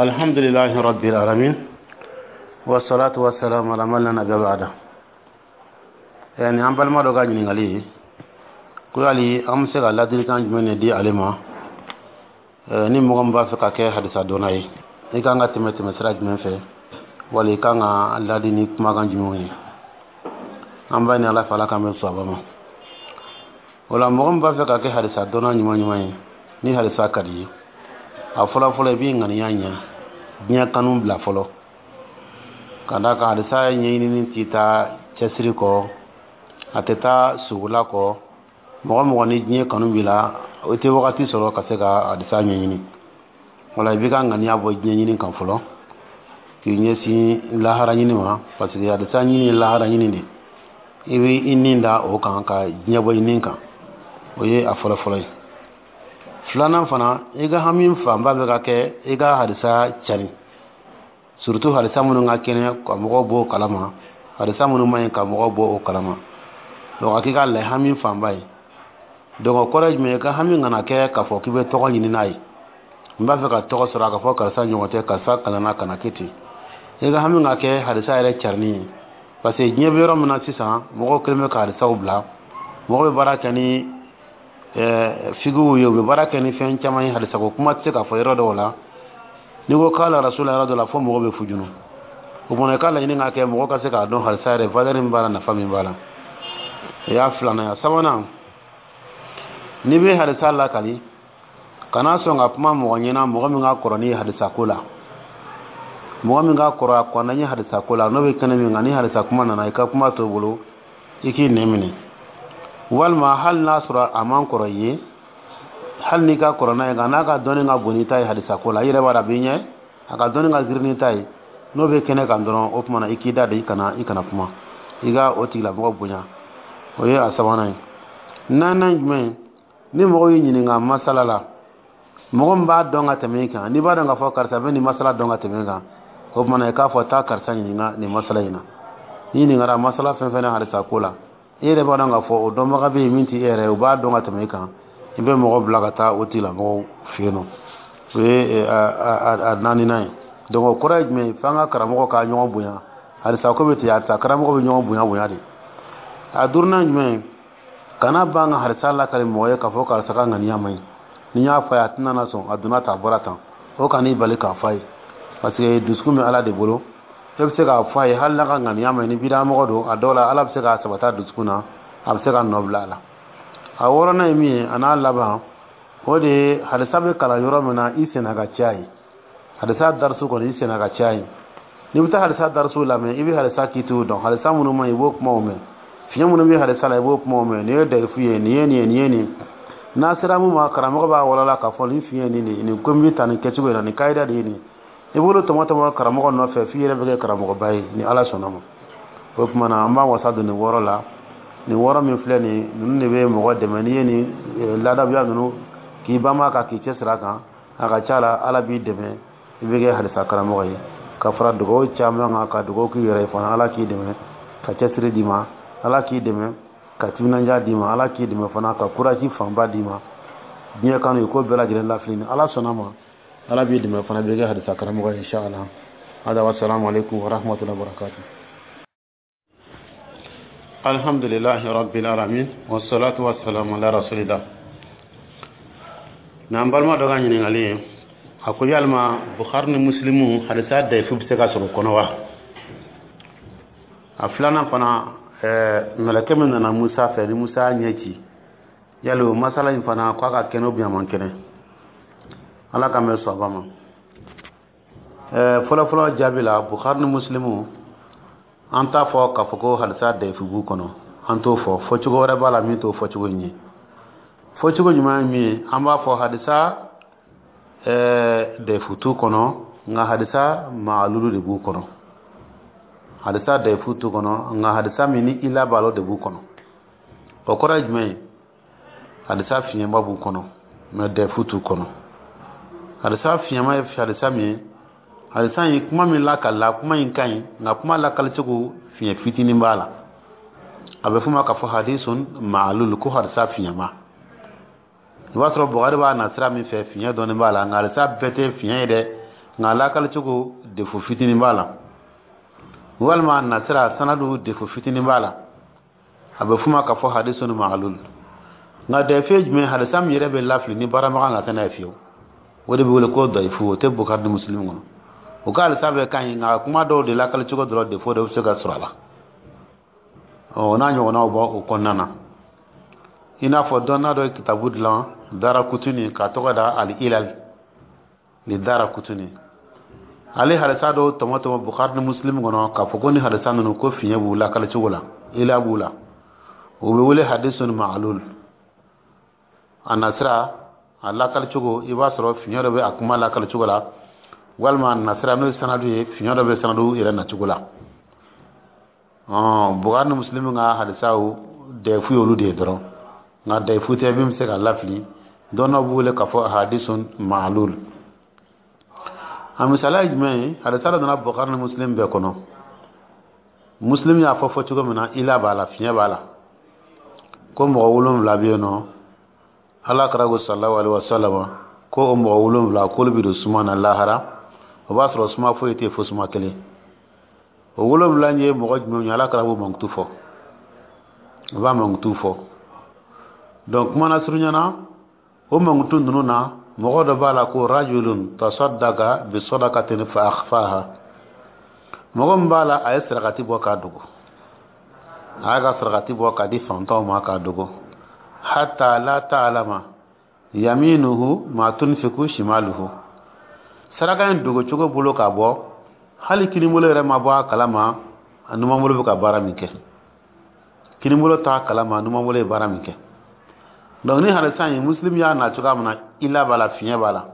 Alhamdulillahi rabbil alamin, wassalatu wassalamu ala man la nabiyya ba'da. Ni an balima dɔ ka ɲininkali ye ko yali an bɛ se ka ladilikan jumɛn de di ale ma, ni mɔgɔ min b'a fɛ ka kɛ hadisa dɔnna ye, i kan ka tɛmɛ tɛmɛsira jumɛn fɛ, wali i kan ka ladi ni kumakan jumɛnw ye? An b'a ɲini Ala fɛ, Ala k'an bɛn sawaba ma. O la, mɔgɔ min b'a fɛ ka kɛ hadisa dɔnna ɲuman ɲuman ye, ni hadisa ka di ye, a fɔlɔ fɔlɔ, i b'i ŋaniya ɲɛ, diɲɛ kanu bila fɔlɔ, ka d'a kan hadisa ɲɛɲinini t'i taa cɛsiri kɔ, a tɛ taa sugola kɔ. Mɔgɔ mɔgɔ ni diɲɛ kanu b'i la, o tɛ wagati sɔrɔ ka se ka hadisa ɲɛɲini. Wala i b'i ka ŋaniya bɔ diɲɛ ɲini kan fɔlɔ, k'i ɲɛsin lahara ɲini ma, parce que hadisa ɲini ye lahara ɲini de. I bɛ i nin da o kan ka diɲɛ bɔ i nin kan. O ye a fɔlɔ fɔlɔ ye. Filanan fana, i ka hami fanba bɛ ka kɛ i ka hadisa cari, surtout hadisa minnu ka kɛnɛ, ka mɔgɔw bɔ o kalama, hadisa minnu man ɲi, ka mɔgɔw bɔ o kalama. Donc a k'i ka lɛ hami fanba ye. Donc o kɔrɔ ye jumɛn ye? I ka hami kana kɛ k'a fɔ k'i bɛ tɔgɔ ɲini n'a ye, n b'a fɛ ka tɔgɔ sɔrɔ, a ka fɔ karisa ɲɔgɔn tɛ, karisa kalanna, kana kɛ ten. I ka hami ka kɛ hadisa yɛrɛ carinni ye, parce que diɲɛ bɛ yɔrɔ min na sisan, mɔgɔw kɛlen bɛ ka hadisaw bila. Mɔgɔw bɛ baara kɛ ni figiw ye, u bɛ baara kɛ ni fɛn caman ye. Hadisa ko kuma tɛ se ka fɔ yɔrɔ dɔw la. N'i ko k'a rasula yɔrɔ dɔ la, fo mɔgɔw bɛ fujunu. O kumana, i ka laɲini ka kɛ mɔgɔ ka se k'a dɔn hadisa yɛrɛ valeur min b'a la, nafa min b'a la. O y'a filanan ye. Sabanan, n'i bɛ hadisa lakali, kana sɔn ka kuma mɔgɔ ɲɛna, mɔgɔ min ka kɔrɔ ni hadisa ko la, mɔgɔ min ka kɔrɔ, a kɔnna ye hadisa ko la, n'o bɛ kɛnɛ min kan. Ni hadisa kuma nana, i ka kuma t'o bolo, i k'i nɛn minɛ. Walima hali n'a sɔrɔ a man kɔrɔ i ye, hali n'i ka kɔrɔ n'a ye, nka n'a ka dɔnni ka bon n'i ta ye hadisa ko la, i yɛrɛ b'a dɔn a b'i ɲɛ, a ka dɔnni ka girin n'i ta ye, n'o bɛ kɛnɛ kan dɔrɔn, o tuma na i k'i da de, i kana kuma, i ka o tigilamɔgɔ bonya. O ye a sabanan ye. Naaninan jumɛn? Ni mɔgɔw y'i ɲininka masala la, mɔgɔ min b'a dɔn ka tɛmɛ i kan, n'i b'a dɔn k'a fɔ karisa bɛ nin masala dɔn ka tɛmɛ i kan, o tuma na i k'a fɔ taa karisa ɲininka nin masala in na. N'i ɲininkara masala fɛn fɛn na hadisa ko la, i yɛrɛ b'a dɔn k'a fɔ o dɔnbaga bɛ yen min tɛ e yɛrɛ ye, o b'a dɔn ka tɛmɛ i kan, i bɛ mɔgɔ bila ka taa o tigilamɔgɔw fɛ yen nɔ. O ye a naaninan ye. Donc o kɔrɔ ye jumɛn ye? F'an ka karamɔgɔ ka ɲɔgɔn bonya. Hadisa ko bɛ ten, hadisa karamɔgɔ bɛ ɲɔgɔn bonya bonya de. A duurunan jumɛn ye? Kana ban ka hadisa lakali mɔgɔ ye k'a fɔ karisa ka ŋaniya man ɲi. Ni n y'a fɔ a ye, a tɛna na sɔn, a donna tan, a bɔra tan. O kan'i bali k'a fɔ a ye, parce que dusukun bɛ Ala de bolo. E bɛ se k'a fɔ a ye, hali n'a ka ŋaniya man ɲi, ni bidamɔgɔ don, a dɔw la Ala bɛ se k'a sabata dusukun na, a bɛ se ka nɔ bila a la. A wɔɔrɔnan ye min ye, a n'a laban, o de ye hadisa bɛ kalan yɔrɔ min na, i senna ka caya ye. Hadisa darisu kɔni, i senna ka caya ye. N'i bɛ taa hadisa darisu lamɛn, i bɛ hadisa kitiw dɔn, hadisa minnu man ɲi, i b'o kumaw mɛn, fiɲɛ minnu bɛ hadisa la, i b'o kumaw mɛn, nin ye dɛrifu ye, nin ye nin ye, nin ye nin. N'a sera mun ma, karamɔgɔ b'a walala k'a fɔ nin fiɲɛ nin de, nin ko bɛ ta nin kɛcogo in na, nin kayida de ye nin. I b'olu tɔmɔ tɔmɔ karamɔgɔ nɔfɛ f'i yɛrɛ bɛ kɛ karamɔgɔba ye, ni Ala sɔnna ma. O tuma na, an b'an wasa don nin wɔɔrɔ la. Nin wɔɔrɔ min filɛ nin, ninnu de bɛ mɔgɔ dɛmɛ. N'i ye nin ladabuya ninnu k'i banba kan, k'i cɛsiri a kan, a ka ca la Ala b'i dɛmɛ, i bɛ kɛ hadisa karamɔgɔ ye. Ka fara dugawu caman kan, ka dugawu k'i yɛrɛ ye fana, Ala k'i dɛmɛ ka cɛsiri d'i ma, Ala k'i dɛmɛ ka timinandiya d'i ma, Ala k'i dɛmɛ fana ka courage fanba d'i ma, diɲɛ kanu i ko bɛɛ lajɛlen lafili. Ni Ala sɔnna ma, Ala b'i dɛmɛ fana, bɛ kɛ hadisa karamɔgɔ ye, inshallah. Hada wa salamu alaikum wa rahmatullahi wa barakatuh. Alhamdulillahi rabbil alamin, wassalatu wassalamu ala rasulillah. N'an balima dɔ ka ɲininkali ye, a ko yalima Bukhari ni Muslimu, hadisa dayifu bɛ se ka sɔrɔ kɔnɔ wa? A filanan fana, mɛlɛkɛ min nana Musa fɛ, ni Musa ɲɛ ci, yali o masala in fana, k'a ka kɛnɛ ou a man kɛnɛ? Ala ka mɛn sɔba ma. Fɔlɔ fɔlɔ jaabi la, Bukhari ni Muslimu, an t'a fɔ k'a fɔ ko hadisa dayifu b'u kɔnɔ. An t'o fɔ. Fɔcogo wɛrɛ b'a la min t'o fɔcogo in ye. Fɔcogo ɲuman ye min ye, an b'a fɔ hadisa dayifu t'u kɔnɔ, nka hadisa maalulu de b'u kɔnɔ. Hadisa dayifu t'u kɔnɔ, nka hadisa min ni ila b'a la, o de b'u kɔnɔ. O kɔrɔ ye jumɛn ye? Hadisa fiɲɛba b'u kɔnɔ, mɛ dayifu t'u kɔnɔ. Hadisa fiɲɛma ye hadisa min ye, hadisa in kuma min lakalila, kuma in ka ɲi, nka kuma lakalicogo fiɲɛ fitinin b'a la. A bɛ f'o ma k'a fɔ hadisun maalulu, ko hadisa fiɲɛma. I b'a sɔrɔ Buhari b'a na sira min fɛ, fiɲɛ dɔɔnin b'a la, nka hadisa bɛɛ tɛ fiɲɛ ye dɛ. Nka lakalicogo, défaut fitinin b'a la, walima nasira sanadu, défaut fitinin b'a la. A bɛ f'u ma k'a fɔ hadisun ma'alul. Nka dayifu ye jumɛn? Hadisa min yɛrɛ bɛ lafili ni baaramagan ka tɛ n'a ye fiyewu, o de bɛ wele ko dayifu. O tɛ Bukari ni Muslim kɔnɔ. O ka hadisa bɛɛ ka ɲi, nka kuma dɔw de lakalicogo dɔrɔn, défaut dɔ bɛ se ka sɔrɔ a la. Ɔ, n'a ɲɔgɔnnaw bɔ o kɔnɔna na, i n'a fɔ dɔnna dɔ ye kitabu dilan, Dara Kutuni, k'a tɔgɔ da Al Ilal ni Dara Kutuni. Ale hadisa dɔw tɔmɔ tɔmɔ Bukari ni Muslim kɔnɔ k'a fɔ ko ni hadisa ninnu, ko fiɲɛ b'u lakali cogo la, ila b'u la. O bɛ wele hadisun ma'alul. A nasira, a lakali cogo, i b'a sɔrɔ fiɲɛ dɔ bɛ a kuma lakali cogo la, walima a nasira, n'o ye sanadu ye, fiɲɛ dɔ bɛ sanadu yɛrɛ nacogo la. Bukari ni Muslim ka hadisaw, dayifu ye olu de ye dɔrɔn, nka dayifu tɛ min bɛ se ka lafili. Dɔnnaw b'u wele k'a fɔ hadisun ma'alul. A misaliya ye jumɛn ye? Hadisa dɔ nana Bukari ni Muslim bɛɛ kɔnɔ. Muslim y'a fɔ fɔ cogo min na, ila b'a la, fiɲɛ b'a la, ko mɔgɔ 7 bɛ yen nɔ. Ala kɛra ko sallallahu alaihi wasallam ko o mɔgɔ 7, k'olu bɛ don suma na lahara, o b'a sɔrɔ suma foyi tɛ fo suma kelen. O 7 ye mɔgɔ jumɛn ye? Ala kɛra b'o mankutu fɔ, o b'a mankutu fɔ. Donc kuma na surunyana, o mankutu ninnu na, mɔgɔ dɔ b'a la ko rajulun tasaddaqa bi sadaqatin fa akhfaha. Mɔgɔ min b'a la, a ye sarakati bɔ k'a dogo, a y'a ka sarakati bɔ k'a di fantanw ma k'a dogo, hatta la ta'lama yaminuhu ma tunfiku shimaluhu. Saraka in dogo cogo bolo k'a bɔ, hali kinibolo yɛrɛ ma bɔ a kalama a numanbolo bɛ ka baara min kɛ. Kinibolo t'a kalama numanbolo ye baara min kɛ. Donc ni hadisa in, Muslim y'a na cogoya min na, ila b'a la, fiɲɛ b'a la.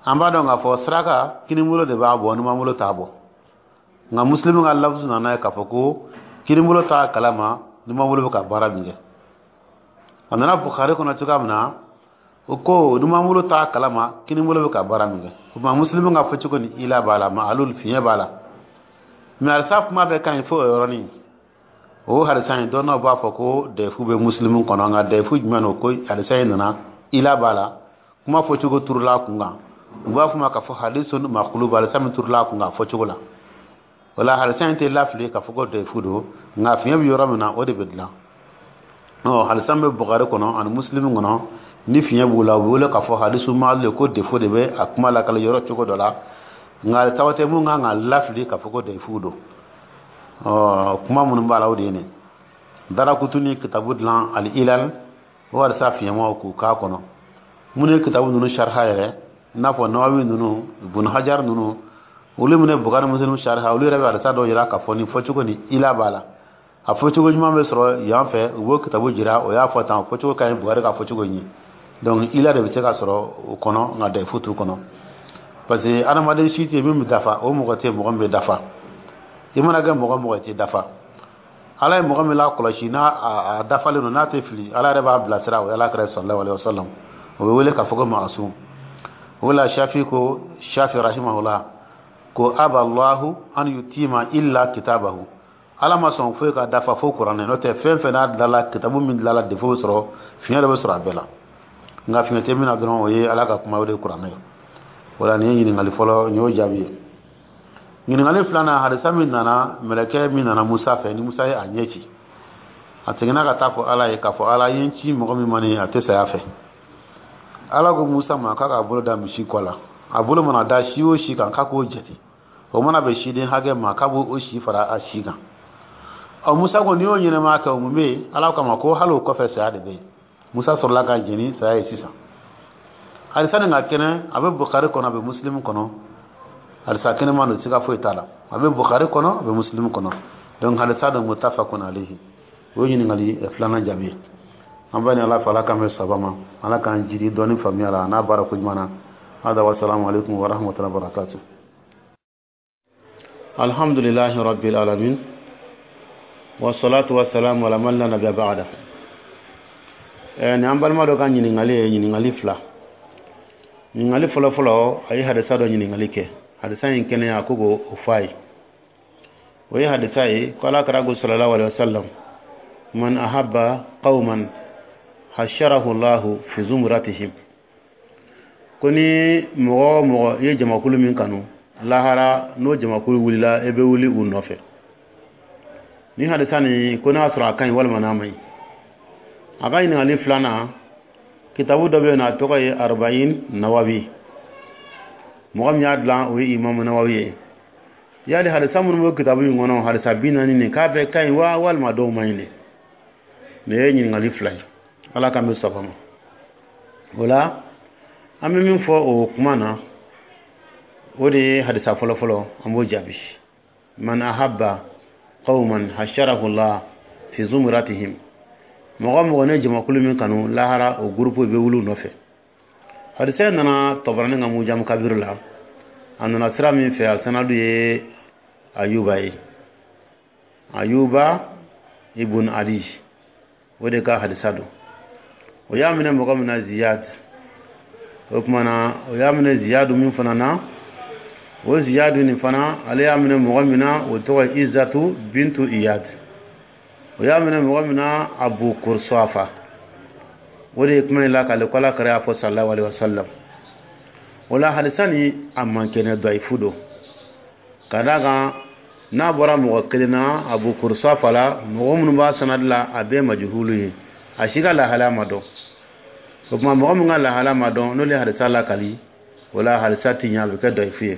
An b'a dɔn k'a fɔ saraka, kinibolo de b'a bɔ, numanbolo t'a bɔ. Nka Muslim ka lafuzu nana ye k'a fɔ ko kinibolo t'a kalama numanbolo bɛ ka baara min kɛ. A nana Bukhari kɔnɔ cogoya min na, o ko numanbolo t'a kalama kinibolo bɛ ka baara min kɛ. O tuma Muslim ka fɔ cogo ni, ila b'a la, ma'alul, fiɲɛ b'a la. Mais hadisa kuma bɛɛ ka ɲi fo o yɔrɔnin. O hadisa in, dɔnnaw b'a fɔ ko dayifu bɛ Muslim kɔnɔ. Nka dayifu jumɛn don? Ko hadisa in nana, ila b'a la, kuma fɔcogo turula a kun kan. U b'a fɔ ma k'a fɔ hadisun maqlub, hadisa min turula a kun kan fɔcogo la. O la, hadisa in tɛ lafili k'a fɔ ko dayifu don, nka fiɲɛ bɛ yɔrɔ min na, o de bɛ dilan. Ɔ, hadisa bɛ Bukari kɔnɔ ani Muslim kɔnɔ, ni fiɲɛ b'u la, u bɛ wele k'a fɔ hadisu ma'lul, ko défaut de bɛ a kuma lakali yɔrɔ cogo dɔ la. Nka tawa tɛ mun kan ka lafili k'a fɔ ko dayifu don. Ɔ, kuma minnu b'a la, o de ye nin Darakutuni kitabu dilan Al Ilal, o hadisa fiɲɛmaw k'u k'a kɔnɔ. Minnu ye kitabu ninnu sariha yɛrɛ, i n'a fɔ Nawawi ninnu, Ibn Hajar ninnu, olu minnu ye Bukari, Muslim sariha, olu yɛrɛ bɛ hadisa dɔw jira k'a fɔ nin fɔcogo ni, ila b'a la, a fɔcogo ɲuman bɛ sɔrɔ yan fɛ. U b'o kitabu jira, o y'a fɔ tan, fɔcogo ka ɲi Bukari ka fɔcogo ɲɛ. Donc ila de bɛ se ka sɔrɔ o kɔnɔ, nka dayifu t'u kɔnɔ, parce que adamaden si tɛ min bɛ dafa. O mɔgɔ tɛ mɔgɔ min bɛ dafa. I mana kɛ mɔgɔ mɔgɔ tɛ dafa. Ala ye mɔgɔ min lakɔlɔsi, n'a a dafalen don, n'a tɛ fili, Ala yɛrɛ b'a bilasira, o ye Ala kɛra sallallahu alaihi wasallam. O bɛ wele k'a fɔ ko maasum. O la, Shafi ko, Shafi rahimahullah ko aba Allahu an yutima illa kitabahu. Ala ma sɔn foyi ka dafa fo Kuranɛ. N'o tɛ, fɛn fɛn n'a dilala, kitabu min dilala, défaut bɛ sɔrɔ, fiɲɛ dɔ bɛ sɔrɔ a bɛɛ la. Nka fiɲɛ tɛ min na dɔrɔn, o ye Ala ka kuma, o de ye Kuranɛ ye. O la, nin ye ɲininkali fɔlɔ, nin y'o jaabi ye. Ɲininkali filanan, hadisa min nana, mɛlɛkɛ min nana Musa fɛ, ni Musa ye a ɲɛ ci, a seginna ka taa fɔ Ala ye k'a fɔ Ala ye n ci mɔgɔ min ma nin, a tɛ saya fɛ. Ala ko Musa ma k'a k'a bolo da misi kɔ la. A bolo mana da si o si kan, k'a k'o jate, o mana bɛn siden hakɛ ma, k'a b'o si fara a si kan. Ɔ, Musa ko n'i y'o ɲɛnɛmaya kɛ, o mun bɛ yen? Ala kama ko hali o kɔfɛ, saya de bɛ yen. Musa sɔrɔla ka jɛni saya ye. Sisan hadisa nin ka kɛnɛ, a bɛ Bukari kɔnɔ, a bɛ Muslim kɔnɔ. Hadisa kɛnɛma don, siga foyi t'a la. A bɛ Bukari kɔnɔ, a bɛ Muslim kɔnɔ. Donc hadisa don muttafaqun alayhi. O ye ɲininkali filanan jaabi ye. An b'a ni Ala fɛ, Ala k'an bɛ saba ma, Ala k'an jidi dɔɔni faamuya la a n'a baara ko ɲuman na. Hada wa salamu alaikum wa rahmatullahi wa barakatuh. Alhamdulillahi rabbil alamin wa salatu wa salamu ala man la nabiyya ba'da. Ni an balima dɔ ka ɲininkali ye ɲininkali fila. Ɲininkali fɔlɔ fɔlɔ, a ye hadisa dɔ ɲininkali kɛ, hadisa in kɛnɛya, ko k'o fɔ a ye. O ye hadisa ye ko Ala kɛra ko sallallahu alaihi wasallam man ahabba qauman hasharahu Allahu fi zumratihim. Ko ni mɔgɔ o mɔgɔ i ye jamakulu min kanu, lahara n'o jamakulu wulila, e bɛ wuli u nɔfɛ. Ni hadisa nin, ko n'a y'a sɔrɔ a ka ɲi walima n'a ma ɲi. A ka ɲininkali filanan, kitabu dɔ bɛ yen nɔ, a tɔgɔ ye Arbayin Nawawi. Mɔgɔ min y'a dilan, o ye Imamu Nawawi ye. Yali hadisa minnu bɛ kitabu in kɔnɔ, hadisa 40 nin, k'a bɛɛ ka ɲi wa, walima dɔw man ɲi de? Nin ye ɲininkali fila ye. Ala k'an bɛ saba ma. O la, an bɛ min fɔ o kuma na, o de ye hadisa fɔlɔfɔlɔ, an b'o jaabi. Man ahabba qawman hasharahu Allah fi zumratihim. Mɔgɔ mɔgɔ ne jamakulu min kanu, lahara o gurupu bɛ wuli u nɔfɛ. Hadisa nana Tɔbarani ka Mujamu Kabiru la. A nana sira min fɛ, a sanadu ye Ayuba ye, Ayuba ibn Ali, o de ka hadisa don. O y'a minɛ mɔgɔ min na, Ziyad. O tuma na, o y'a minɛ Ziyadu min fana na, o Ziyadu nin fana, ale y'a minɛ mɔgɔ min na, o tɔgɔ ye Izatu bintu Iyad. O y'a minɛ mɔgɔ min na, Abu Kursafa. O de ye kuma in lakale ko Ala kɛra y'a fɔ, sallallahu alaihi wasallam. O la, hadisa ni a man kɛnɛ, dayifu don, ka d'a kan n'a bɔra mɔgɔ kelen na, Abu Kursafa la, mɔgɔ minnu b'a sanadi la, a bɛɛ majuhulu ye, a si ka lahalaya ma dɔn. O tuma, mɔgɔ min ka lahala ma dɔn, n'olu ye hadisa lakali, o la hadisa ti ɲɛ, a bɛ kɛ dayifu ye.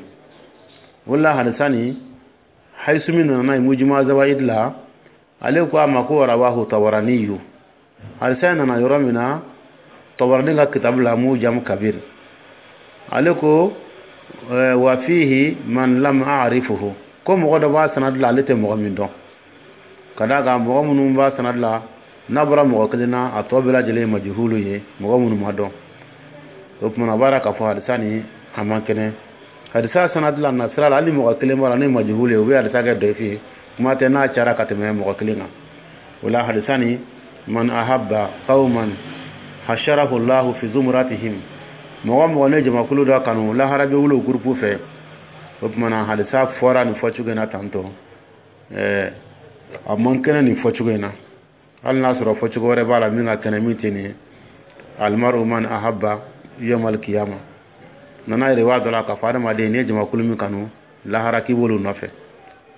O la, hadisa nin, Hayisumi nana n'a ye Mujima Zawayid la. Ale ko a ma ko rawahu Tabaraniyu. Hadisa nana yɔrɔ min na, Tabarani ka kitabu la, Mujam Kabir, ale ko wa fihi man lam a'rifuhu, ko mɔgɔ dɔ b'a sanadi la, ale tɛ mɔgɔ min dɔn, ka d'a kan mɔgɔ minnu b'a sanadi la, n'a bɔra mɔgɔ kelen na, a tɔ bɛɛ lajɛlen ye majuhulu ye, mɔgɔ minnu ma dɔn. O tuma na, a b'a yira k'a fɔ hadisa nin a man kɛnɛ. Hadisa sanadi la, na sira la, hali mɔgɔ kelen b'a la ni majuhulu ye, u bɛ hadisa kɛ dayifu ye, kuma tɛ n'a cayara ka tɛmɛ mɔgɔ kelen kan. O la, hadisa nin, man ahabba qauman hasharahu Allahu fi zumratihim, mɔgɔ mɔgɔ ne jamakulu dɔ kanu, lahara bɛ wuli o gurupu fɛ. O tuma na, hadisa fɔra nin fɔcogo in na tantɔ, a man kɛnɛ nin fɔcogo in na, hali n'a sɔrɔ fɔcogo wɛrɛ b'a la min ka kɛnɛ, min tɛ nin ye. Almaru man ahabba yawmal qiyama nana yɛrɛ b'a dɔ la k'a fɔ adamaden, n'i ye jamakulu min kanu, lahara k'i b'olu nɔfɛ.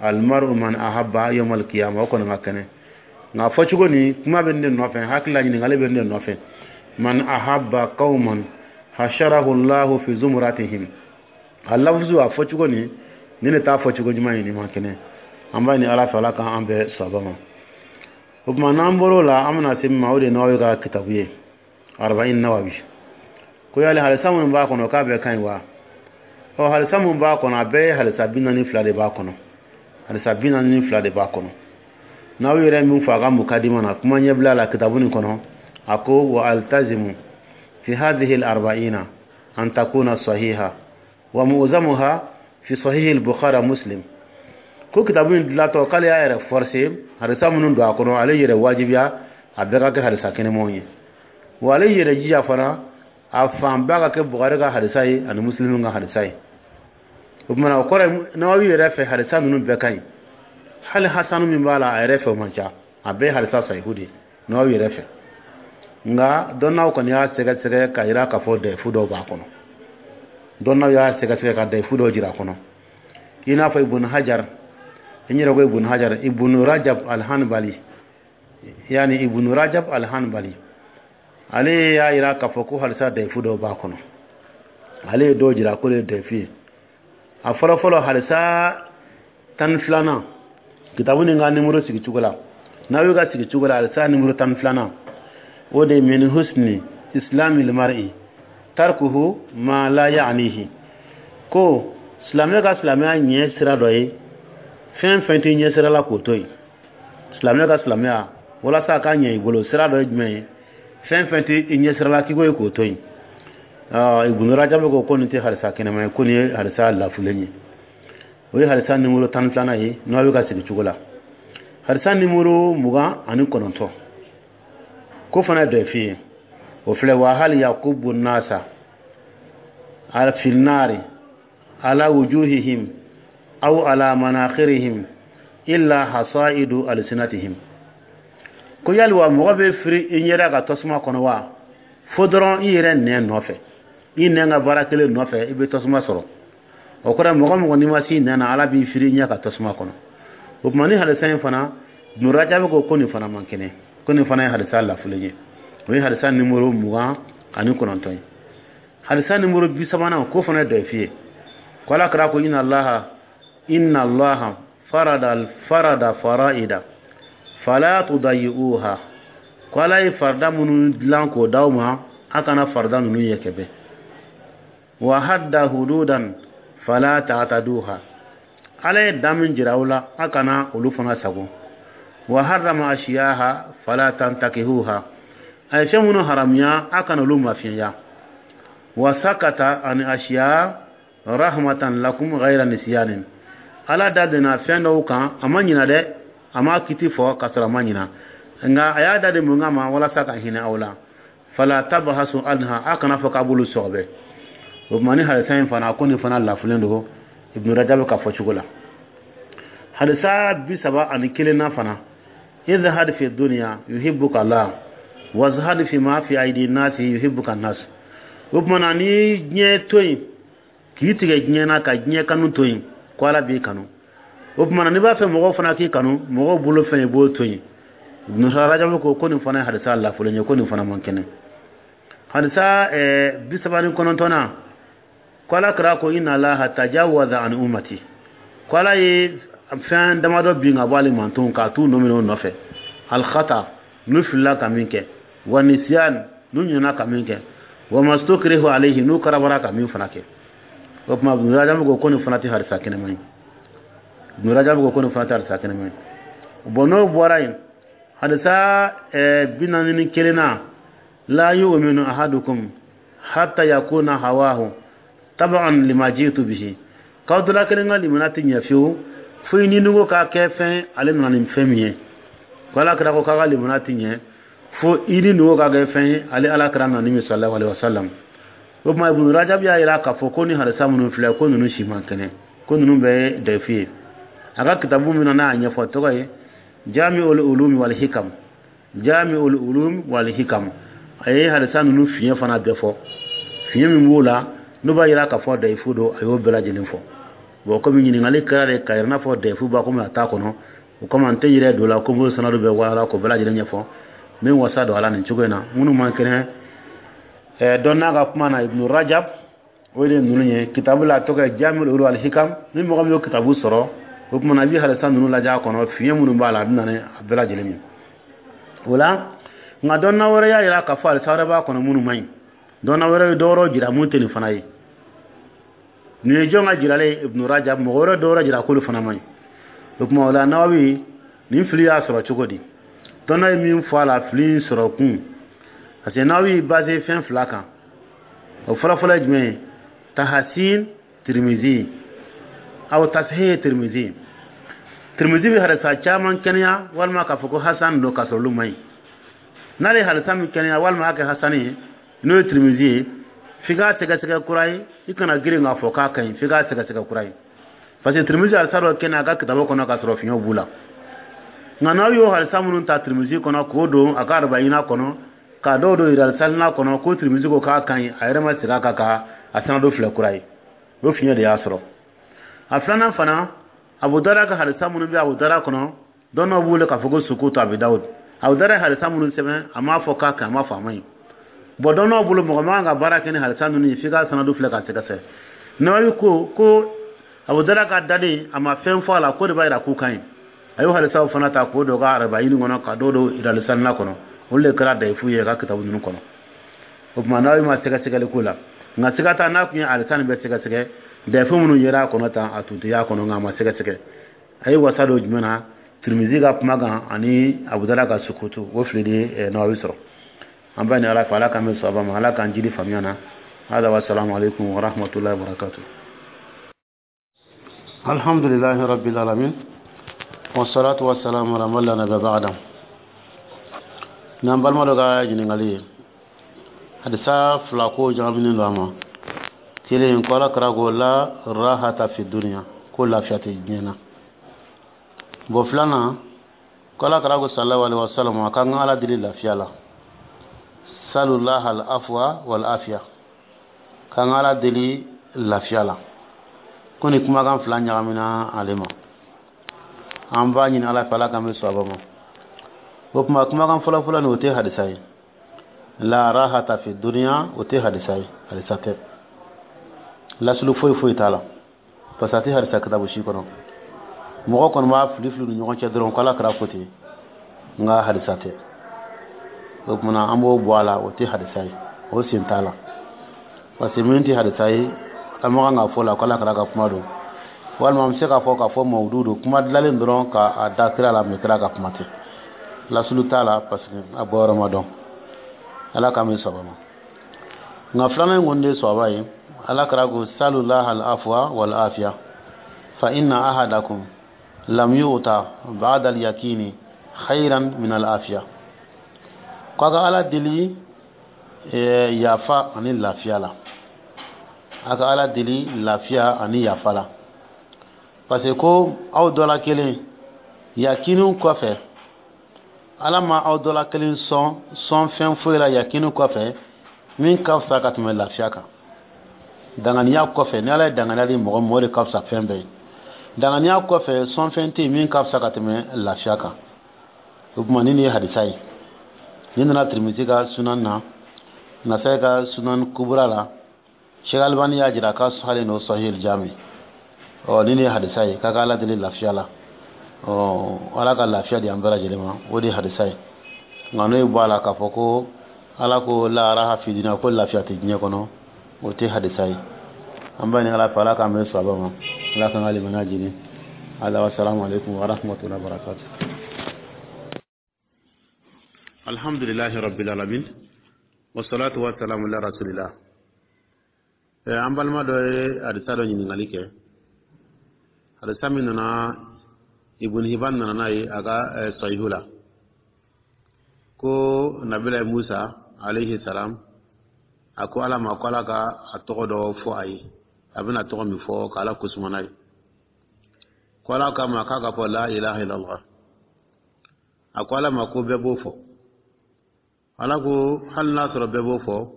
Almaru man ahabba yawmal qiyama, o kɔni ka kɛnɛ. Nka fɔcogo nin, kuma bɛ ne nɔfɛ, hakili la ɲininkali bɛ ne nɔfɛ. Man ahabba qauman hasharahu Allahu fi zumratihim, a lafuzu, a fɔcogo nin, ni ne t'a fɔcogo ɲuman ye, nin man kɛnɛ. An b'a ɲini Ala fɛ, Ala k'an bɛɛ sɔba ma. O tuma, n'an bɔr'o la, an bɛna se min ma, o de ye Nawawi ka kitabu ye, Arba'in Nawawi. Ko yali hadisa minnu b'a kɔnɔ, k'a bɛɛ ka ɲi wa? Ɔ, hadisa minnu b'a kɔnɔ, a bɛɛ ye hadisa 42 de b'a kɔnɔ, hadisa 42 de b'a kɔnɔ. N'aw yɛrɛ min fɔ a ka mukadima na, kuma ɲɛbila la kitabu nin kɔnɔ, a ko wa altazimu fi hadhihi al-arba'ina an takuna sahiha wa mu'zamuha fi sahihi al-Bukhari, Muslim. Ko kitabu in dilatɔ, k'ale y'a yɛrɛ forcer hadisa minnu don a kɔnɔ, ale yɛrɛ wajibiya a bɛɛ ka kɛ hadisa kɛnɛmanw ye. Wa ale yɛrɛ jija fana, a fanba ka kɛ Bukhari ka hadisa ye ani Muslim ka hadisa ye. O tuma na, o kɔrɔ ye, Nawawi yɛrɛ fɛ, hadisa ninnu bɛɛ ka ɲi. Hali hasanu min b'a la, a yɛrɛ fɛ, o man ca, a bɛɛ ye hadisa sahihu de ye Nawawi yɛrɛ fɛ. Nka dɔnnaw kɔni y'a sɛgɛsɛgɛ ka yira k'a fɔ dayifu dɔw b'a kɔnɔ. Dɔnnaw y'a sɛgɛsɛgɛ ka dayifu dɔw jira a kɔnɔ, i n'a fɔ Ibn Hajar. N yɛrɛ ko Ibn Hajar, Ibn Rajab al-Hanbali, yani Ibn Rajab al-Hanbali, ale y'a yira k'a fɔ ko hadisa dayifu dɔw b'a kɔnɔ. Ale ye dɔw jira k'o ye dayifu ye. A fɔlɔfɔlɔ, hadisa 12nan, kitabu nin ka nimoro sigi cogo la, n'aw y'u ka sigi cogo la, hadisa nimoro 12nan, o de min husni islamil mar'i tarkuhu ma la ya'nihi, ko silamɛ ka silamɛya ɲɛ sira dɔ ye fɛn fɛn tɛ ɲɛ sira la, k'o to yen. Silamɛ ka silamɛya, walasa a ka ɲɛ i bolo, sira dɔ ye jumɛn ye? Fɛn fɛn tɛ i ɲɛ sira la, k'i ko ye k'o to yen. Ibn Rajab ko nin tɛ hadisa kɛnɛma ye, ko nin ye hadisa lafulen ye. O ye hadisa nimoro 12nan ye n'aw bɛ ka sigi cogo la. Hadisa nimoro 29, ko fana ye dɔ f'i ye, o filɛ: wa hal yakubu nasa fi nari ala wujuhihim aw ala manakhirihim illa hasaidu alsinatihim. Ko yali wa mɔgɔ bɛ firi i ɲɛda ka tasuma kɔnɔ wa, fo dɔrɔn i yɛrɛ nɛn nɔfɛ? I nɛn ka baara kelen nɔfɛ, i bɛ tasuma sɔrɔ. O kɔrɔ, mɔgɔ mɔgɔ n'i ma s'i nɛn na, Ala b'i firi ɲɛ ka tasuma kɔnɔ. O tuma ni hadisa in fana, Ibn Rajab ko nin fana man kɛnɛ, ko nin fana ye hadisa lafulen ye. O ye hadisa nimoro 29 ye. Hadisa nimoro 30nan, ko fana ye dɔyifi ye, ko Ala kira ko: "Inna Allaha, inna Allaha farada farada faraida fala tudayi'uha." Ko Ala ye farida minnu dilan k'o d'aw ma, a kana farida ninnu ye kɛbɛ. "Wa hadda hududan fala ta'taduha." Ala ye dan min jira aw la, a kana olu fana sago. "Wa harrama ashiyaha fala tantakihuha." A ye fɛn minnu haramuya, a kana olu mafiɲɛya. "Wa sakata ani ashiya rahmatan lakum ghayra nisyanin." Ala da donna fɛn dɔw kan, a ma ɲina dɛ, a ma kiti fɔ ka sɔrɔ a ma ɲina, nka a y'a da de mun kama? Walasa ka hinɛ aw la. "Fala tabhasu anha." A kana fɔ k'a b'olu sɔgɔbɛ. O tuma ni hadisa in fana, ko nin fana lafulen don Ibn Rajab ka fɔ cogo la. Hadisa 31nan fana: "Izhad fi dunya yuhibbuka Allah, wazhad fi ma fi aidi nasi yuhibbuka nas." O tuma na, ni diɲɛ to yen, k'i tigɛ diɲɛ na, ka diɲɛ kanu to yen, ko Ala b'i kanu. O tuma na, n'i b'a fɛ mɔgɔw fana k'i kanu, mɔgɔw bolo fɛn, i b'o to yen. Ibn Rajab ko nin fana ye hadisa lafulen ye, ko nin fana man kɛnɛ. Hadisa 39nan, ko Ala kira ko: "Inna Allaha tajawaza an ummati." Ko Ala ye fɛn damadɔ bin ka bɔ ale mantonw k'a t'u nɔ minɛ o nɔfɛ: alkhata, n'u filila ka min kɛ, wa nisyan, n'u ɲinɛna ka min kɛ, wa mastukrihu alayhi, n'u karabara ka min fana kɛ. O tuma Ibn Rajab ko nin fana tɛ hadisa kɛnɛma ye. Ibn Rajab ko nin fana tɛ hadisa kɛnɛma ye. Bon, n'o bɔra yen, hadisa 41nan: "La yu'minu ahadukum hatta yakuna hawahu tab'an lima ji'tu bihi." K'aw dɔ la kelen ka limana tɛ ɲɛ fiyewu, fo i ni nugu k'a kɛ fɛn ale nana ni fɛn min ye. Ko Ala kira ko k'a ka limana tɛ ɲɛ fo i ni nugu k'a kɛ fɛn ye ale Ala kira nana ni min, sallallahu alaihi wasallam. O tuma Ibn Rajab y'a jira k'a fɔ ko ni hadisa minnu filɛ, ko ninnu si man kɛnɛ, ko ninnu bɛɛ ye dayifu ye. A ka kitabu min na n'a y'a ɲɛfɔ, tɔgɔ ye Jami'ul Ulum wal Hikam. Jami'ul Ulum wal Hikam, a ye hadisa ninnu fiɲɛ fana bɛɛ fɔ. Fiɲɛ min b'o la n'o b'a jira k'a fɔ dayifu don, a y'o bɛɛ lajɛlen fɔ. Bon, komi ɲininkali kɛra de ka yɛrɛ n'a fɔ dayifu b'a komi a t'a kɔnɔ, o kama n tɛ yɛrɛ don la ko n b'o sanadu bɛɛ walala k'o bɛɛ lajɛlen ɲɛfɔ. N bɛ n wasa don a la nin cogo in na. Minnu man kɛnɛ dɔn n'a ka kuma na, Ibn Rajab, o de ye ninnu ye. Kitabu la, a tɔgɔ ye Jami'ul Ulum wal Hikam. Ni mɔgɔ min y'o kitabu sɔrɔ, o tuma na i bɛ hadisa ninnu lajɛ a kɔnɔ, fiɲɛ minnu b'a la, a bɛ na ni a bɛɛ lajɛlen ye o la. Nka dɔnna wɛrɛ y'a jira k'a fɔ hadisa wɛrɛ b'a kɔnɔ minnu man ɲi. Dɔnna wɛrɛ ye dɔ wɛrɛw jira mun tɛ nin fana ye. Nin ye jɔn ka jiralen ye? Ibn Rajab. Mɔgɔ wɛrɛ dɔ wɛrɛ jira k'olu fana man ɲi. O tuma o la, Nawawi nin fili y'a sɔrɔ cogo di? Dɔnna ye min fɔ a la, fili in sɔrɔ kun, parce que Nawawi basé fɛn fila kan. O fɔlɔfɔlɔ ye jumɛn ye? Tahasin Tirimizi aw tasihih Tirimizi. Tirimizi bɛ hadisa caman kɛnɛya walima k'a fɔ ko hasan don, k'a sɔrɔ olu man ɲi. N'ale ye hadisa min kɛnɛya walima a kɛ hasani ye, n'o ye Tirimizi ye, f'i k'a sɛgɛsɛgɛ kura ye. I kana girin k'a fɔ k'a ka ɲi, f'i k'a sɛgɛsɛgɛ kura ye, parce que Tirimizi hadisa dɔ kɛnɛ a ka kitabu kɔnɔ k'a sɔrɔ fiɲɛw b'u la. Nka n'aw y'o hadisa minnu ta Tirimizi kɔnɔ k'o don a ka arbaina kɔnɔ, k'a dɔw don Riyadu kɔnɔ, ko Tirimizi ko k'a ka ɲi, a yɛrɛ ma segin a kan ka a sanadu filɛ kura ye, o fiɲɛ de y'a sɔrɔ. A filanan fana, Abu Dawuda ka hadisa minnu bɛ Abu Dawuda kɔnɔ, dɔnnaw b'u wele k'a fɔ ko sukutu Abi Dawud. Abu Dawuda ye hadisa minnu sɛbɛn, a m'a fɔ k'a ka ɲi, a m'a fɔ a ma ɲi. Bon, dɔnnaw bolo, mɔgɔ man kan ka baara kɛ ni hadisa ninnu ye f'i ka sanadu filɛ k'a sɛgɛsɛgɛ. Nawawi ko Abu Dawuda ka daden, a ma fɛn fɔ a la, ko de b'a jira k'u ka ɲi. A y'o hadisaw fana ta k'o don ka arbaini kɔnɔ, ka dɔw don Riyadu Salihina kɔnɔ. Olu de kɛra dayifu ye a ka kitabu ninnu kɔnɔ. O tuma n'aw ma sɛgɛsɛgɛli ko la, nka siga t'a n'a tun ye hadisa nin bɛɛ sɛgɛsɛgɛ, dayifu minnu yera a kɔnɔ tan, a tun tɛ y'a kɔnɔ. Nka a ma sɛgɛsɛgɛ. A ye wasa don jumɛn na? Tirimizi ka kuma kan ani Abu Dawuda ka sukutu. O fili de ye Nawawi sɔrɔ. An b'a ɲini Ala fɛ, Ala k'an bɛ sɔn ma, Ala k'an jidi faamuya na. Hada wa salamu alaikum wa rahmatullahi wa barakatuh. Alhamdulillahi rabbil alamin, wassalatu wassalamu ala man la nabiyya ba'da. N'an balima dɔ ka ɲininkali ye, hadisa fila ko ɲagaminen don a ma. Kelen, ko Ala kira ko: "La rahata fi dunya", ko lafiya tɛ diɲɛ na. Bon, filanan, ko Ala kira ko sallallahu alaihi wasallam a k'an ka Ala deli lafiya la: "Salullah al afwa wal afiya", K'an ka Ala deli lafiya la. Ko ni kumakan fila ɲagamina ale ma, an b'a ɲini Ala fɛ, Ala k'an bɛ sɔn ma. O tuma, kumakan fɔlɔfɔlɔ nin, o tɛ hadisa ye. La rahata fi dunya, o tɛ hadisa ye, hadisa tɛ, lasulu foyi foyi t'a la, parce que a tɛ hadisa kitabu si kɔnɔ. Mɔgɔ kɔni b'a fili fili ni ɲɔgɔn cɛ dɔrɔn ko Ala kɛra ko ten, nka hadisa tɛ. O tuma, an b'o bɔ a la, o tɛ hadisa ye, o sen t'a la, parce que min tɛ hadisa ye, an ma kan k'a fɔ la ko Ala kɛra ka kuma don, walima an bɛ se k'a fɔ k'a fɔ mawudu don, kuma dilanlen dɔrɔn k'a da kira la, mɛ kira ka kuma tɛ, lasulu t'a la, parce que a bɔyɔrɔ ma dɔn. Ala k'an bɛ sɔn ma. Nka filanan in kɔni de ye sɔba ye. Ala kɛra ko salullaha al afwa wal afiya fa inna ahadakum lam yu'ta ba'da al yakini khayran min al afiya, ko a ka Ala deli yafa ani lafiya la, a ka Ala deli lafiya ani yafa la, parce que ko aw dɔ la kelen yakiniw kɔfɛ, Ala ma aw dɔ la kelen sɔn sɔn fɛn foyi la yakini kɔfɛ min ka fisa ka tɛmɛ lafiya kan. Danganiya kɔfɛ, ni Ala ye danganiya di mɔgɔ ma, o de ka fisa fɛn bɛɛ ye. Danganiya kɔfɛ, sɔn fɛn tɛ yen min ka fisa ka tɛmɛ lafiya kan. O tuma, ni nin ye hadisa ye, nin nana Tirimisi ka sunan na, Nasai ka Sunan Kubura la, Sheikh Albani y'a jira k'a sahalen don Sahih Jami. Ɔ, ni nin ye hadisa ye k'a ka Ala deli lafiya la. Ɔ, Ala ka lafiya di an bɛɛ lajɛlen ma, o de ye hadisa ye. Nka n'o ye bɔ a la k'a fɔ ko Ala ko la raha fi dunya, ko lafiya tɛ diɲɛ kɔnɔ, o tɛ hadisa ye. An b'a ɲini Ala fɛ, Ala k'an bɛn sawaba ma, Ala k'an ka limaniya jini. Ala wa salamu alaikum wa rahmatullahi wa barakatuh. Alhamdulillahi rabbil alamin, wasalatu wasalamu ala rasulillah. An balima dɔ ye hadisa dɔ ɲininkali kɛ, hadisa min nana, Ibn Hibban nana n'a ye a ka Sahihu la, ko Nabila Musa alayhi salam a ko Ala ma ko Ala ka a tɔgɔ dɔ fɔ a ye, a bɛna tɔgɔ min fɔ k'Ala kosuma n'a ye. Ko Ala k'a ma k'a ka fɔ la ilaha illallah. A ko Ala ma ko bɛɛ b'o fɔ. Ala ko hali n'a sɔrɔ bɛɛ b'o fɔ,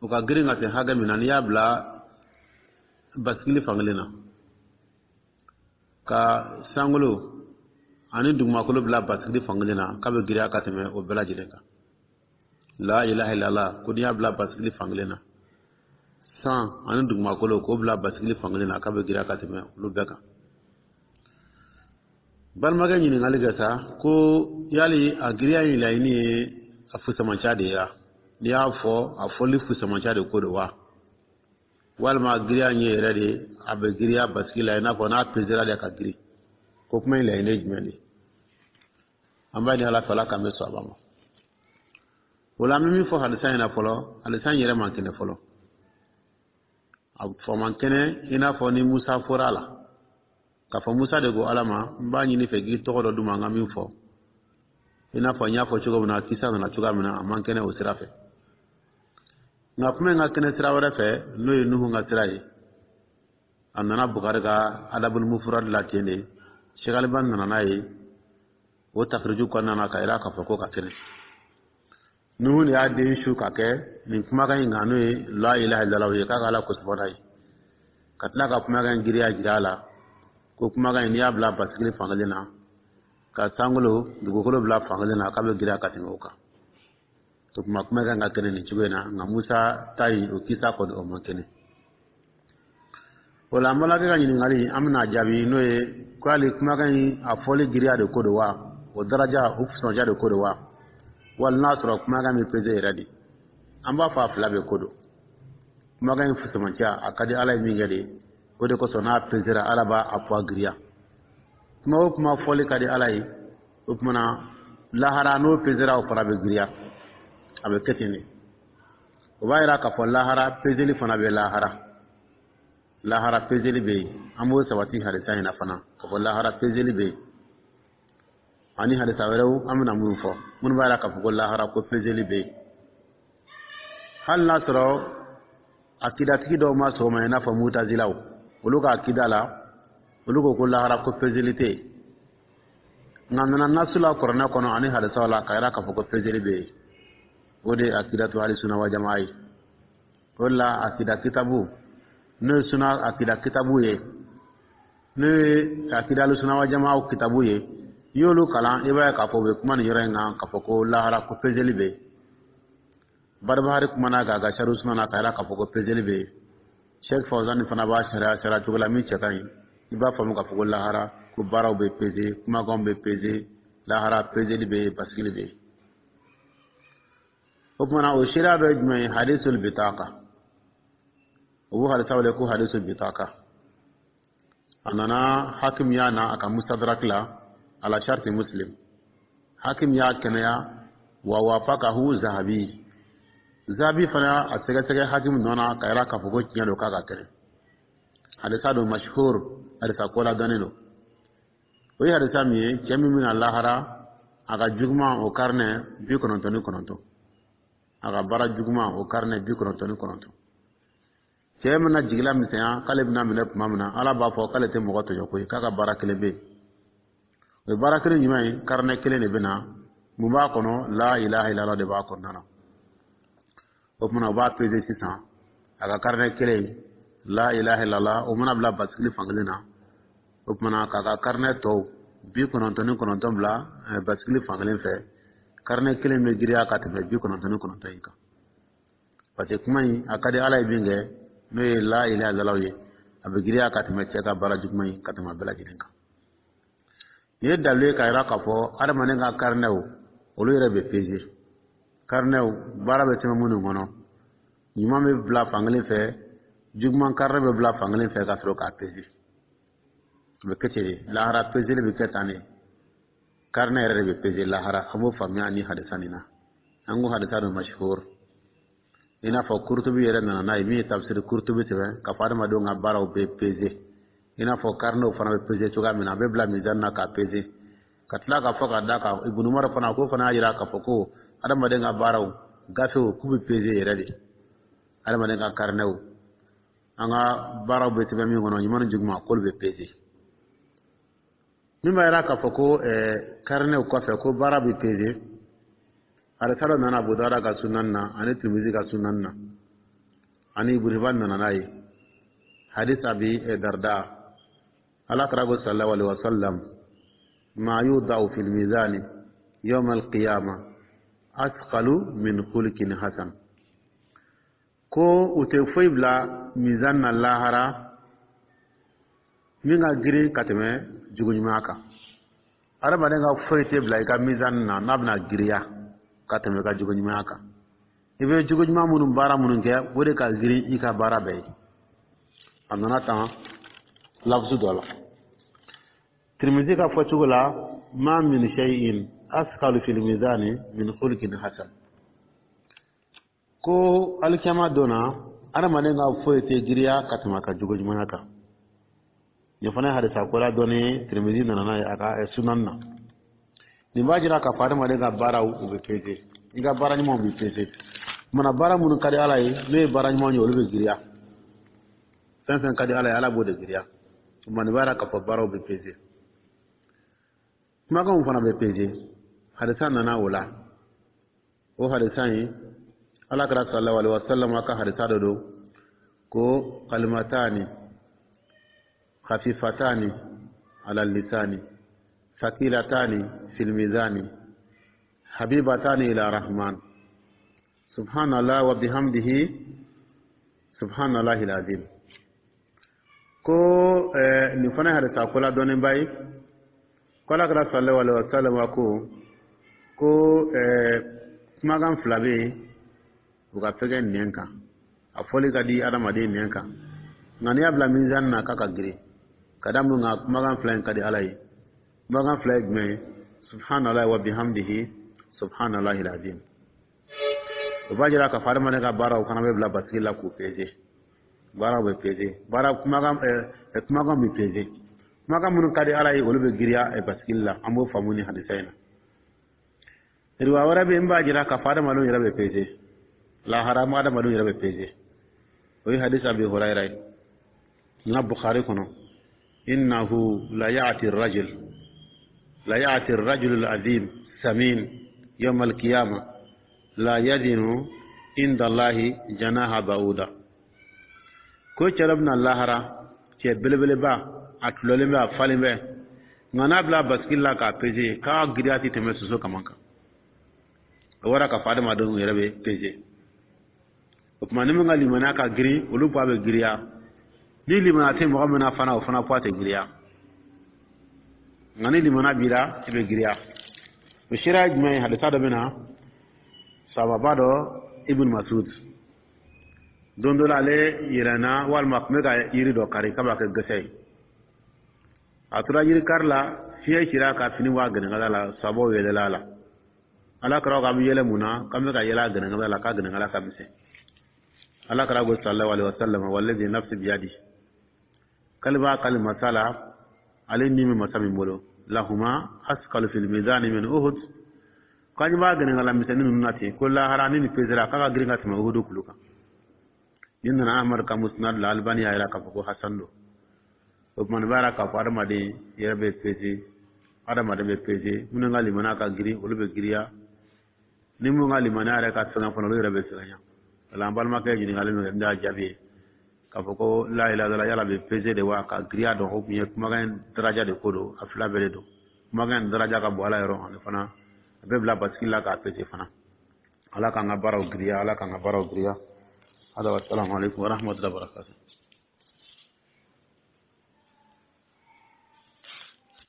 o ka girin ka se hakɛ min na, n'i y'a bila basigili fankelen na, ka sankolo ani dugumakolo bila basigili fankelen na, k'a bɛ girinya ka tɛmɛ o bɛɛ lajɛlen kan. La ilaha illallah, ko n'i y'a bila basigili fankelen na, san ani dugumakolo, k'o bila basigili fankelen na, k'a bɛ girinya ka tɛmɛ olu bɛɛ kan. Balimakɛ ɲininkali kɛ sa ko yali a girinya in laɲini ye a fusamancɛ de ye wa? N'i y'a fɔ, a fɔli fusamancɛ de ko don wa, walima girinya in ye yɛrɛ de a bɛ girinya basigi la, i n'a fɔ n'a pesera de ka girin? Ko kuma in laɲini ye jumɛn de ye? An b'a ɲini Ala fɛ, Ala k'an bɛ sɔn a ma. O la, an bɛ min fɔ hadisa in na fɔlɔ, hadisa in yɛrɛ man kɛnɛ fɔlɔ, a fɔ man kɛnɛ, i n'a fɔ ni Musa fɔra a la k'a fɔ Musa de ko Ala ma n b'a ɲini fɛ k'i tɔgɔ dɔ d'u ma n ka min fɔ, i n'a fɔ n y'a fɔ cogo min na, kisa nana cogoya min na, a man kɛnɛ o sira fɛ. Nka kuma in ka kɛnɛ sira wɛrɛ fɛ, n'o ye Nuhu ka sira ye, a nana Bukari ka Adabul Mufurad la ten de. Sheikh Albani nana n'a ye o tafiriju kɔnɔna na ka yira k'a fɔ ko ka kɛnɛ. Nuhu de y'a den su ka kɛ nin kumakan in kan, n'o ye la ilaha illallah ye, k'a ka Ala kosɔn n'a ye, ka tila ka kumakan in giriya jira a la, ko kumakan in, n'i y'a bila basigili fankelen na, ka sankolo dugukolo bila fankelen na, k'a bɛ girinya ka tɛmɛ o kan. O tuma, kumakan ka kɛnɛ nin cogo in na. Nka Musa ta in, o kisa kɔni, o man kɛnɛ. O la, an balimakɛ ka ɲininkali, an bɛna jaabi, n'o ye ko hali kumakan in a fɔli giriya de ko don wa, o daraja o fusamancɛ de ko don wa, wali n'a sɔrɔ kumakan bɛ peze yɛrɛ de? An b'a fɔ a fila bɛɛ ko don. Kumakan in fusamancɛ, a ka di Ala ye min kɛ de, o de kosɔn n'a pezera, Ala b'a a poids giriya. Kuma o kuma fɔli ka di Ala ye, o tuma na lahara n'o pezera, o fana bɛ giriya, a bɛ kɛ ten de. O b'a yira k'a fɔ lahara pezeli fana bɛ lahara, lahara pezeli bɛ yen. An b'o sabati hadisa in na fana k'a fɔ lahara pezeli bɛ yen, ani hadisa wɛrɛw an bɛna minnu fɔ, minnu b'a yira k'a fɔ ko lahara ko pezeli bɛ yen, hali n'a sɔrɔ akidatigi dɔw ma sɔn o ma, i n'a fɔ mutazilaw. Olu ka akida la, olu ko ko lahara ko pezeli tɛ yen. Nka nana nasu la kuranɛ kɔnɔ ani hadisaw la ka yira k'a fɔ ko pezeli bɛ yen. O de ye akidatu ahli sunna wa jamaa ye. O de la, akida kitabu, n'o ye suna akida kitabu ye, n'o ye akida suna wa jamaw kitabu ye, i y'olu kalan, i b'a ye k'a fɔ u bɛ kuma nin yɔrɔ in kan, k'a fɔ ko lahara ko peseli bɛ yen. Barbahari kumana k'a ka sariya suna na k'a yira k'a fɔ ko peseli bɛ yen. Sheikh Fawzani fana b'a sariya cogo la min cɛ ka ɲi. I b'a faamu k'a fɔ ko lahara ko baaraw bɛ peze, kumakanw bɛ peze, lahara peseli bɛ yen, basigili bɛ yen. O tuma na, o seereya dɔ ye jumɛn ye? Hadisul bitaka. O b'o hadisa wele ko hadisul bitaka. A nana, Hakim y'a na a ka Mustadrak la, ala sharti Muslim. Hakim y'a kɛnɛya, wa wafakahu Zahabi. Zahabi fana a sɛgɛsɛgɛ Hakim nɔ na ka yira k'a fɔ ko tiɲɛ don, k'a ka kɛnɛ. Hadisa don mashhur, hadisa ko ladɔnnen don. O ye hadisa min ye, cɛ min bɛna lahara, a ka juguman o karinɛ 99, a ka baara juguman o karinɛ 99. Cɛ mana jigila misɛnya k'ale bɛna minɛ tuma min na, Ala b'a fɔ k'ale tɛ mɔgɔ tɔɲɔ koyi, k'a ka baara kelen bɛ yen. O ye baara kelen jumɛn ye? Karinɛ kelen de bɛ na. Mun b'a kɔnɔ? La ilaha illallah de b'a kɔnɔna na. O tuma, u b'a peze sisan, a ka karinɛ kelen la ilaha illallah, o mana bila basigili fankelen na, o tuma k'a ka karinɛ tɔw 99 bila basigili fankelen fɛ, karinɛ kelen bɛ giriya ka tɛmɛ 99 in kan, parce que kuma in a ka di Ala ye min kɛ, n'o ye la ilaha illallah ye, a bɛ giriya ka tɛmɛ cɛ ka baara juguman in ka tɛmɛ a bɛɛ lajɛlen kan. Nin ye dalilu ye k'a jira k'a fɔ adamaden ka karinɛw, olu yɛrɛ bɛ peze. Karinɛw, baara bɛ sɛbɛn minnu kɔnɔ, ɲuman bɛ bila fankelen fɛ, juguman karinɛ bɛ bila fankelen fɛ, ka sɔrɔ k'a peze. O bɛ kɛ ten de lahara, pezeli bɛ kɛ tan de. Karinɛ yɛrɛ de bɛ peze lahara. An b'o faamuya ni hadisa nin na. An ko hadisa don mashhur, i n'a fɔ Kurutubi yɛrɛ nana n'a ye, min ye tafsiri Kurutubi sɛbɛn, k'a fɔ adamadenw ka baaraw bɛ peze, i n'a fɔ karinɛw fana bɛ peze cogoya min na, a bɛ bila mizani na k'a peze. Ka tila k'a fɔ k'a da kan, Ibn Umar fana k'o fana y'a jira k'a fɔ ko adamaden ka baaraw gafew k'u bɛ peze yɛrɛ de. Adamaden ka karinɛw, an ka baaraw bɛ sɛbɛn min kɔnɔ, ɲuman ni juguman, k'olu bɛ peze. Min b'a jira k'a fɔ ko karinɛw kɔfɛ ko baara bɛ peze, hadisa dɔ nana Abu Dawuda ka sunan na ani Tirimizi ka sunan na, ani Ibn Hibban nana n'a ye, hadis Abi Darda. Ala kira ko sallallahu alaihi wasallam: ma yudau fil mizani yawm al-qiyama asqalu min khuluqin hasan. Ko u tɛ foyi bila mizan na lahara min ka girin ka tɛmɛ jogo ɲuman kan. Adamaden ka foyi tɛ bila i ka mizan na n'a bɛna giriya ka tɛmɛ i ka jogo ɲumanya kan. I bɛ jogo ɲuman minnu, baara minnu kɛ, o de ka girin i ka baara bɛɛ ye. A nana tan lafusu dɔ la Tirimizi ka fɔcogo la: ma min shay'in asqalu fil mizani min khuluqin hasan. Ko alikiyama don na, adamaden ka foyi tɛ giriya ka tɛmɛ a ka jogo ɲumanya kan. Nin fana ye hadisa ko la dɔɔni, Tirimizi nana n'a ye a ka sunan na. Nin b'a jira k'a fɔ adamaden ka baaraw, u bɛ peze, i ka baara ɲumanw bɛ peze. Mana baara minnu ka di Ala ye, n'o ye baara ɲumanw ye, olu bɛ giriya. Fɛn fɛn ka di Ala ye, Ala b'o de giriya. O nin b'a jira k'a fɔ baaraw bɛ peze, kumakanw fana bɛ peze. Hadisa nana o la. O hadisa in, Ala kira sallallahu alaihi wasallam ka hadisa dɔ don ko kalimatani khafifatani ala lisani thaqilatani fil mizani habibatani ila rahman: subhanallah wa bihamdihi, subhanallahi alazim. Ko nin fana ye hadisa ko la dɔnnenba ye, ko Ala kira sallallahu alaihi wasallam ko kumakan fila bɛ yen, u ka fɛgɛ nɛn kan, a fɔli ka di adamaden nɛn kan, nka n'i y'a bila mizani na, k'a ka girin. Ka da mun kan? Kumakan fila in ka di Ala ye. Kumakan fila ye jumɛn ye? Subhanallah wa bihamdihi, subhanallahi alazim. O b'a jira k'a fɔ adamaden ka baaraw fana bɛ bila basigi la k'u peze. Baaraw bɛ peze, baara kumakan bɛ peze. Kumakan minnu ka di Ala ye, olu bɛ giriya basigili la. An b'o faamu ni hadisa in na. Riwaya wɛrɛ bɛ yen min b'a jira k'a fɔ adamadenw yɛrɛ bɛ peze lahara, ma adamadenw yɛrɛ bɛ peze. O ye hadisa Abi Hurayra ye na Bukhari kɔnɔ: innahu la ya'ti ar-rajul al-azim samin yawm al-qiyamah la yazinu. Indallahi janaha ba'uda. Ko cɛ dɔ bɛna lahara, cɛ belebeleba, a tulɔlen bɛ, a falen bɛ, nka n'a bila basikili la k'a peze, k'a giriya tɛ tɛmɛ soso kaman kan. O wara k'a fɔ adamadenw yɛrɛ bɛ peze. O tuma, ni min ka limaniya ka girin, olu poids bɛ giriya. Ni limaniya tɛ mɔgɔ min na fana, o fana poids tɛ giriya. Nka ni limaniya b'i la, i bɛ giriya. O seereya ye jumɛn ye? Hadisa dɔ bɛ na, sababa dɔ, Ibn Masud, don dɔ la, ale yɛlɛnna walima a tun bɛ ka yiri dɔ kari k'a b'a kɛ gɛsɛ ye. A tora yiri kari la, fiɲɛ cira ka fini bɔ a gɛnɛgɛnɛ la. Sabaw yɛlɛla a la. Ala kɛra k'an bɛ yɛlɛ mun na? K'an bɛ ka yɛlɛ a gɛnɛgɛnɛ la, k'a gɛnɛgɛnɛ ka misɛn. Ala kɛra ko sallallahu alaihi wasallam: walladhi nafsi biyadi, k'ale b'a kali masa la, ale ni bɛ masa min bolo, lahuma asqalu fil mizani min Uhud. K'an b'a gɛnɛgɛnɛ misɛnnin ninnu na ten, ko lahara ni nin pesera, k'a ka girin ka tɛmɛ Uhudu kulu kan. Nin nana Ahmad ka Musnad la, Albani y'a yira k'a fɔ ko hasan don. O tuma, nin b'a yira k'a fɔ adamaden yɛrɛ bɛ pese, adamaden bɛ pese. Minnu ka limaniya ka girin, olu bɛ giriya. Ni minnu ka limaniya yɛrɛ ka fɛngɛ fana, olu yɛrɛ bɛ fɛngɛ. Wala an balimakɛ ɲininkali min kɛ, n y'a jaabi ye k'a fɔ ko la ilaha illallah, yala bɛ pese de wa ka giriya dɔn? O tun ye kumakan in daraja de ko don. A fila bɛɛ de don. Kumakan in daraja ka bon Ala yɔrɔ, ani fana a bɛ bila basigi la k'a pese fana. Ala k'an ka baaraw giriya, Ala k'an ka baaraw giriya. Hada, wassalamu alaikum warahmatullahi wabarakatuh.